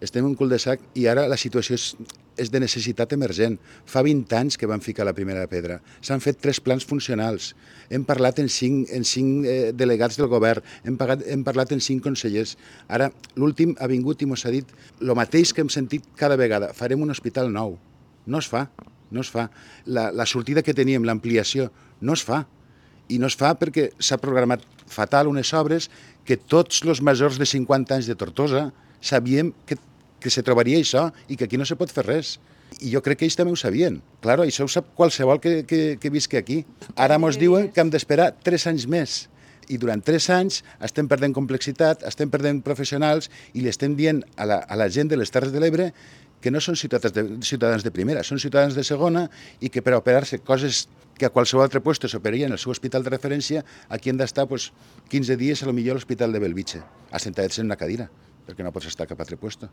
estem en un cul-de-sac i ara la situació és de necessitat emergent. Fa 20 anys que vam ficar la primera pedra. S'han fet 3 plans funcionals. Hem parlat en 5 delegats del govern, hem parlat en 5 consellers. Ara, l'últim ha vingut i ens ha dit el mateix que hem sentit cada vegada. Farem un hospital nou. No es fa, no es fa. La sortida que teníem, l'ampliació, no es fa. I no es fa perquè s'ha programat fatal unes obres que tots els majors de 50 anys de Tortosa sabíem que se trobaria això i que aquí no se pot fer res. I jo crec que ells també ho sabien. Claro, això ho sap qualsevol que visqui aquí. Ara ens diuen que hem d'esperar 3 anys més. I durant 3 anys estem perdent complexitat, estem perdent professionals i li estem dient a la gent de les Terres de l'Ebre que no són ciutadans de primera, són ciutadans de segona i que per a operar-se coses que a qualsevol altre lloc s'operarien en el seu hospital de referència, aquí han d'estar 15 dies a lo millor a l'hospital de Belvitge, assentadets en una cadira, perquè no pots estar a cap altre lloc.